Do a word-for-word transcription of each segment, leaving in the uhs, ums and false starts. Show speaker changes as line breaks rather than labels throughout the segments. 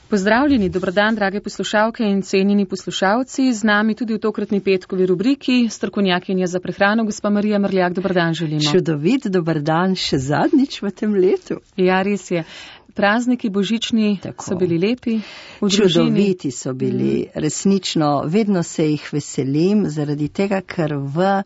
Pozdravljeni, dobrodan, drage poslušalke in cenjeni poslušalci. Z nami tudi v tokratni petkovi rubriki strokovnjakinja za prehrano, gospa Marija Mrljak. Dobrodan želimo.
Čudovit dobrodan še zadnjič v tem letu.
Ja, res je. Prazniki božični Tako. so bili lepi.
Čudoviti so bili, mm. resnično. Vedno se jih veselim, zaradi tega, ker v,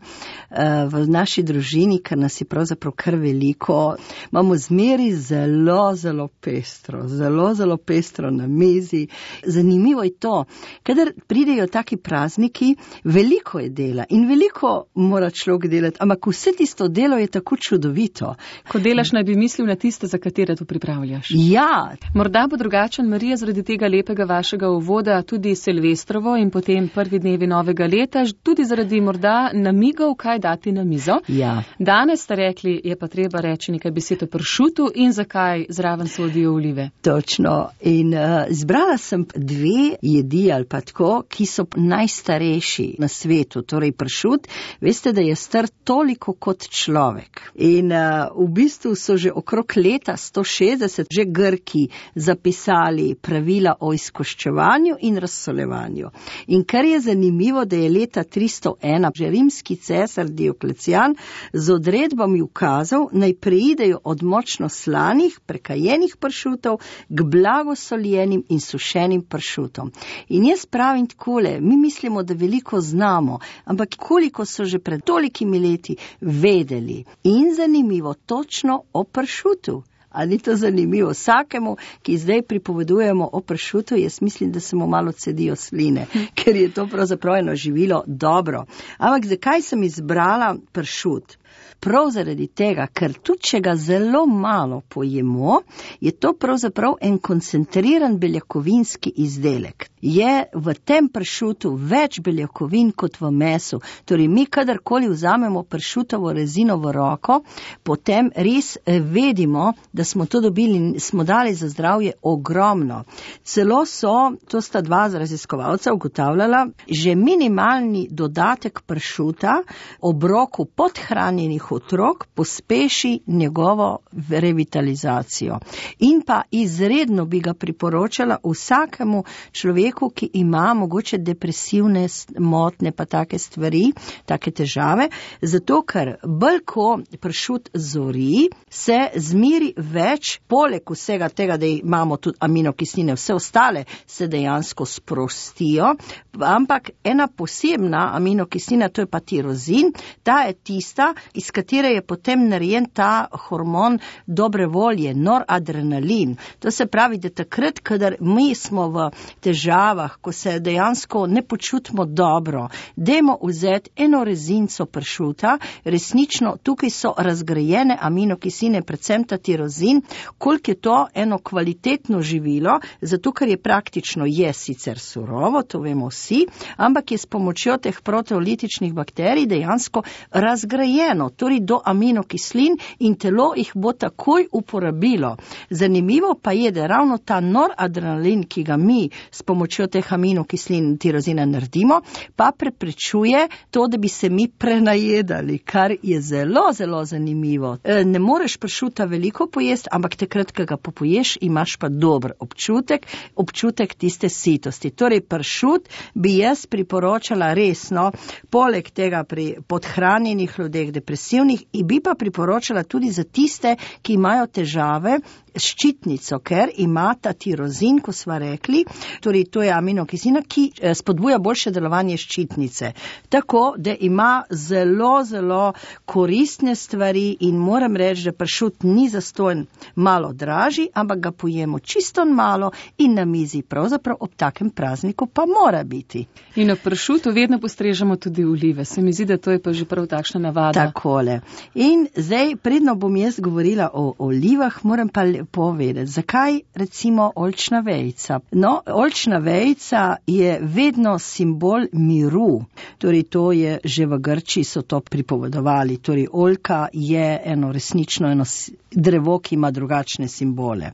v naši družini, ker nas je pravzaprav kar veliko, imamo zmeri zelo, zelo pestro, zelo, zelo pestro na mizi. Zanimivo je to, kadar pridejo taki prazniki, veliko je dela in veliko mora človek delati, ampak vse tisto delo je tako čudovito.
Ko delaš, naj bi mislil na tiste, za katere to pripravljaš.
Ja.
Morda bo drugačen, Marija, zaradi tega lepega vašega uvoda tudi Silvestrovo in potem prvi dnevi novega leta, tudi zaradi morda namigov, kaj dati na mizo.
Ja.
Danes ste rekli, je pa treba reči nekaj besed o pršutu in zakaj zraven sodijo olive.
Točno. In uh, zbrala sem dve jedi ali pa tako, ki so najstarejši na svetu, torej pršut. Veste, da je star toliko kot človek. In uh, v bistvu so že okrog leta sto šestdeset že Grki zapisali pravila o izkoščevanju in razsolevanju. In kar je zanimivo, da je leta tristo ena že rimski cesar Dioklecijan z odredbami ukazal, naj preidejo od močno slanih, prekajenih pršutov k blagosoljenim in sušenim pršutom. In jaz pravim takole, mi mislimo, da veliko znamo, ampak koliko so že pred tolikimi leti vedeli. In zanimivo, točno o pršutu. Ali ni to zanimivo? Vsakemu, ki zdaj pripovedujemo o pršutu, jaz mislim, da se mu malo cedijo sline, ker je to pravzaprav eno živilo dobro. Ampak zakaj sem izbrala pršut? Prav zaradi tega, ker tudi če ga zelo malo pojemo, je to pravzaprav en koncentriran beljakovinski izdelek. Je v tem pršutu več beljakovin kot v mesu. Torej, mi kadarkoli vzamemo pršutovo rezino v roko, potem res vedimo, da smo to dobili, smo dali za zdravje ogromno. Celo so, to sta dva raziskovalca ugotavljala, že minimalni dodatek pršuta obroku podhranjenih otrok pospeši njegovo revitalizacijo. In pa izredno bi ga priporočala vsakemu človeku, ki ima mogoče depresivne motne pa take stvari, take težave, zato ker bolj ko pršut zori, se zmeri več, poleg vsega tega, da imamo tudi aminokisline, vse ostale se dejansko sprostijo, ampak ena posebna aminokislina, to je pa tirozin, ta je tista, iz katere je potem narejen ta hormon dobre volje, noradrenalin. To se pravi, da takrat, kadar mi smo v težavah, ko se dejansko ne počutimo dobro, dajmo vzeti eno rezinco pršuta, resnično tukaj so razgrajene aminokisline, predvsem ta tirozin, koliko je to eno kvalitetno živilo, zato ker je praktično je sicer surovo, to vemo vsi, ampak je s pomočjo teh proteolitičnih bakterij dejansko razgrajeno, torej do aminokislin in telo jih bo takoj uporabilo. Zanimivo pa je, da ravno ta noradrenalin, ki ga mi s pomočjo teh aminokislin tirozina naredimo, pa preprečuje to, da bi se mi prenajedali, kar je zelo, zelo zanimivo. Ne moreš pršuta veliko pojesti, ampak takrat, ko ga popoješ, imaš pa dober občutek, občutek tiste sitosti. Torej, pršut bi jaz priporočala resno, poleg tega pri podhranjenih ljudeh, depresivnih, in bi pa priporočala tudi za tiste, ki imajo težave s ščitnico, ker ima ta tirozin, ko sva rekli, torej to je aminokislina, ki spodbuja boljše delovanje ščitnice. Tako, da ima zelo, zelo koristne stvari in moram reči, da pršut ni zastonj malo dražji, ampak ga pojemo čisto malo in na mizi pravzaprav ob takem prazniku pa mora biti.
In ob pršutu vedno postrežemo tudi olive. Se mi zdi, da to je pa že prav takšna navada.
Takole. In zdaj, predno bom jaz govorila o olivah, moram pa povedati, zakaj recimo oljčna vejica. No, oljčna vejica je vedno simbol miru. Torej, to je že v Grčiji so to pripovedovali. Torej, oljka je eno resnično eno drevo, ki ima drugačne simbole.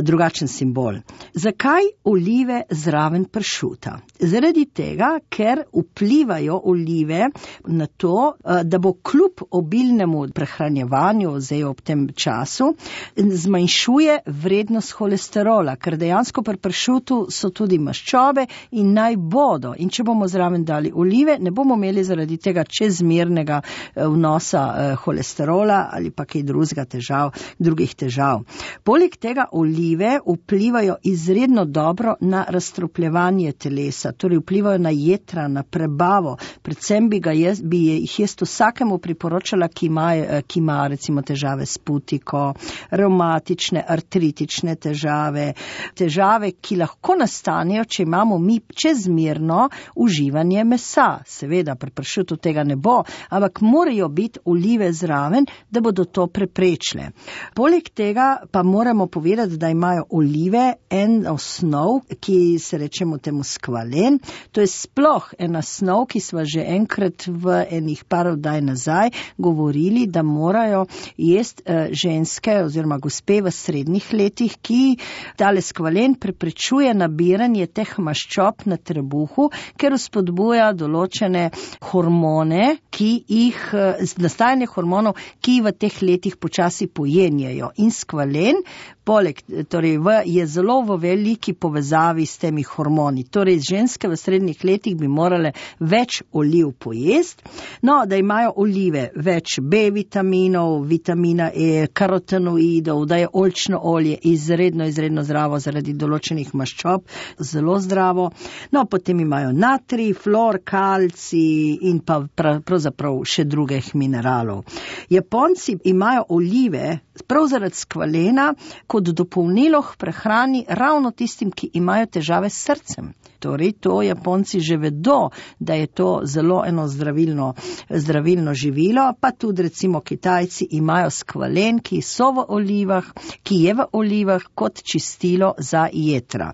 drugačen simbol. Zakaj olive zraven pršuta? Zaradi tega, ker vplivajo olive na to, da bo kljub obilnemu prehranjevanju zdaj ob tem času zmanjšuje vrednost holesterola, ker dejansko pri pršutu so tudi maščobe in naj bodo. In če bomo zraven dali olive, ne bomo imeli zaradi tega čezmernega vnosa holesterola ali pa kaj drugega težav, drugih težav. Poleg tega olive vplivajo izredno dobro na razstrupljevanje telesa, torej vplivajo na jetra, na prebavo. Predvsem bi, ga jaz, bi jih jaz vsakemu priporočala, ki ima, ki ima recimo težave s putiko, revmatične, artritične težave, težave, ki lahko nastanejo, če imamo mi čezmerno uživanje mesa. Seveda, pri pršutu tega ne bo, ampak morajo biti olive zraven, da bodo to preprečile. Poleg tega pa moramo povedati, da imajo olive en osnov, ki se rečemo temu skvalen. To je sploh ena snov, ki sva že enkrat v enih par oddaj nazaj govorili, da morajo jesti uh, ženske oziroma gospe v srednjih letih, ki tale skvalen preprečuje nabiranje teh maščob na trebuhu, ker spodbuja določene hormone, ki jih, uh, nastajanje hormonov, ki v teh letih počasi pojenjajo. In skvalen poleg, torej v, je zelo v veliki povezavi s temi hormoni. Torej, ženske v srednjih letih bi morale več oliv pojesti, no, da imajo olive več B vitaminov, vitamina E, karotenoidov, da je oljčno olje izredno, izredno zdravo zaradi določenih maščob, zelo zdravo. No, potem imajo natrij, fluor, kalcij in pa pravzaprav še drugih mineralov. Japonci imajo olive prav zaradi skvalena kot dopolnilo k prehrani ravno tistim, ki imajo težave s srcem. Torej, to Japonci že vedo, da je to zelo eno zdravilno, zdravilno živilo, pa tudi recimo Kitajci imajo skvalen, ki so v olivah, ki je v olivah kot čistilo za jetra.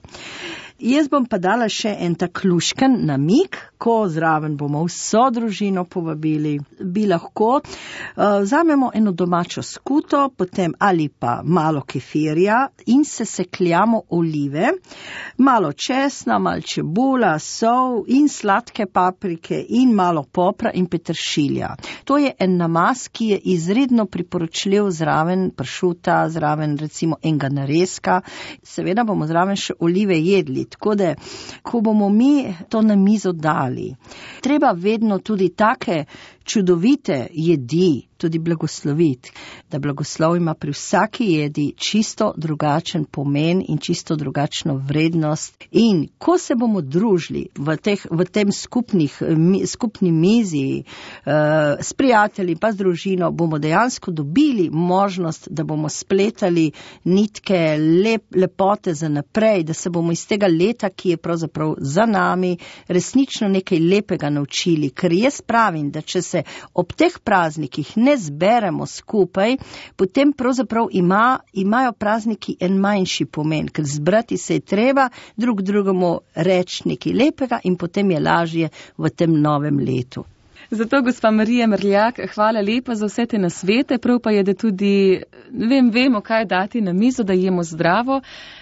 Jaz bom pa dala še en tak lušken namig, ko zraven bomo vso družino povabili, bi lahko uh, vzamemo eno domačo skuto, potem ali pa malo kefirja in se sekljamo olive, malo česna, malo čebula, sol in sladke paprike in malo popra in peteršilja. To je en namaz, ki je izredno priporočljiv zraven pršuta, zraven recimo enega narezka. Seveda bomo zraven še olive jedli. Tako da, ko bomo mi to na mizo dali, treba vedno tudi take čudovite jedi tudi blagosloviti, da blagoslov ima pri vsaki jedi čisto drugačen pomen in čisto drugačno vrednost. In ko se bomo družili v, teh, v tem skupnih, skupni mizi uh, s prijatelji pa z družino, bomo dejansko dobili možnost, da bomo spletali nitke lep, lepote za naprej, da se bomo iz tega leta, ki je pravzaprav za nami, resnično nekaj lepega naučili. Ker jaz pravim, da če se ob teh praznikih ne zberemo skupaj, potem pravzaprav ima, imajo prazniki en manjši pomen, ker zbrati se je treba, drug drugemu reči nekaj lepega in potem je lažje v tem novem letu.
Zato, gospa Marija Mrljak, hvala lepa za vse te nasvete, prav pa je, da tudi vem, vemo, kaj dati na mizo, da jemo zdravo.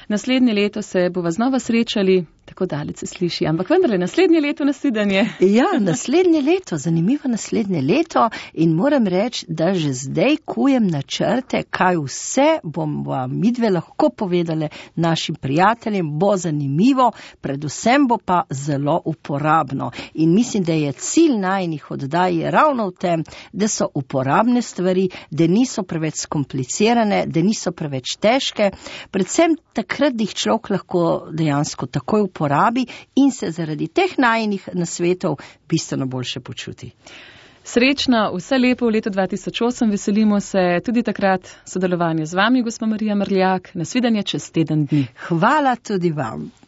Naslednje leto se bova znova srečali, tako daleč se sliši, ampak vendarle naslednje leto nasledanje.
Ja, naslednje leto, zanimivo naslednje leto in moram reči, da že zdaj kujem načrte, kaj vse bom vam midve lahko povedale našim prijateljem, bo zanimivo, predvsem bo pa zelo uporabno. In mislim, da je cilj najinih oddaj ravno v tem, da so uporabne stvari, da niso preveč skomplicirane, da niso preveč težke, predvsem takrat, da jih človek lahko dejansko takoj uporabi in se zaradi teh najinih nasvetov bistveno boljše počuti.
Srečno, vse lepo v letu dva tisoč osem, veselimo se tudi takrat sodelovanja z vami, gospa Marija Mrljak. Nasvidenje čez teden dni.
Hvala tudi vam.